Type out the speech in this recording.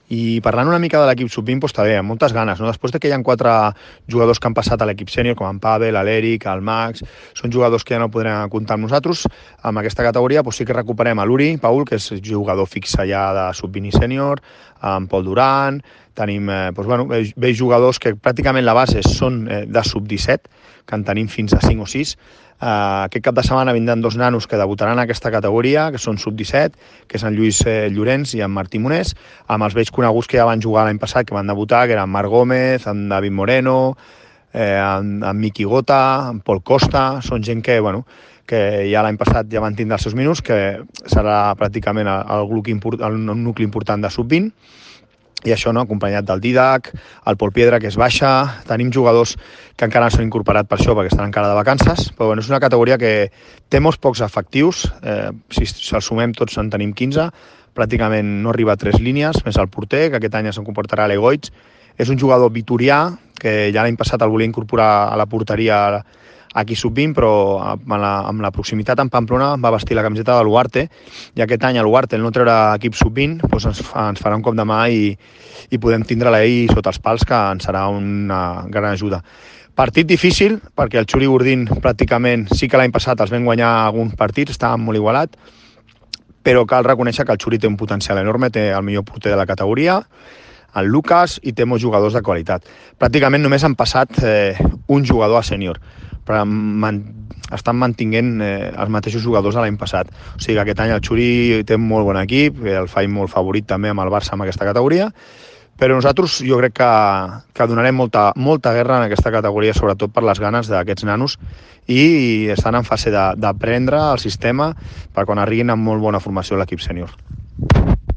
I parlant una mica de l'equip sub-20, doncs també, amb moltes ganes, no? Després que hi ha 4 jugadors que han passat a l'equip sènior, com en Pavel, l'Eric, el Max, són jugadors que ja no podrem comptar amb nosaltres, amb aquesta categoria doncs sí que recuperem a l'Uri, Paul, que és jugador fixe ja de sub-20 i sènior, en Pol Duran, tenim vells jugadors que pràcticament la base són de sub-17, que en tenim fins a 5 o 6. Aquest cap de setmana vindran 2 nanos que debutaran en aquesta categoria, que són sub-17, que és en Lluís Llorenç i en Martí Monés, amb els vells coneguts que ja van jugar l'any passat, que van debutar, que eren Marc Gómez, en David Moreno, en Miqui Gota, en Pol Costa. Són gent que ja l'any passat ja van tindre els seus minuts, que serà pràcticament el nucli important de sub-20. I això, no, acompanyat del Didac, el Pol Piedra, que és baixa. Tenim jugadors que encara no s'han incorporat per això, perquè estan encara de vacances, però és una categoria que té molts pocs efectius. Si els sumem tots en tenim 15, pràcticament no arriba a 3 línies, més el porter, que aquest any se'n comportarà l'Egoitz. És un jugador vitorià, que ja l'any passat el volia incorporar a la porteria aquí sub-20, però amb la proximitat amb Pamplona va vestir la camiseta de l'Uarte, i aquest any a l'Uarte, el no treure equip sub-20, doncs ens farà un cop de mà i podem tindre-la ell sota els pals, que ens serà una gran ajuda. Partit difícil, perquè el Xuri Gordín pràcticament sí que l'any passat els vam guanyar alguns partits, estava molt igualat, però cal reconèixer que el Xuri té un potencial enorme, té el millor porter de la categoria, el Lucas, i té molts jugadors de qualitat. Pràcticament només han passat un jugador a sènior, però estan mantinguent els mateixos jugadors de l'any passat. O sigui que aquest any el Xuri té un molt bon equip, el faig molt favorit també amb el Barça en aquesta categoria, però nosaltres jo crec que donarem molta guerra en aquesta categoria, sobretot per les ganes d'aquests nanos, i estan en fase d'aprendre el sistema per quan arribin amb molt bona formació a l'equip sènior.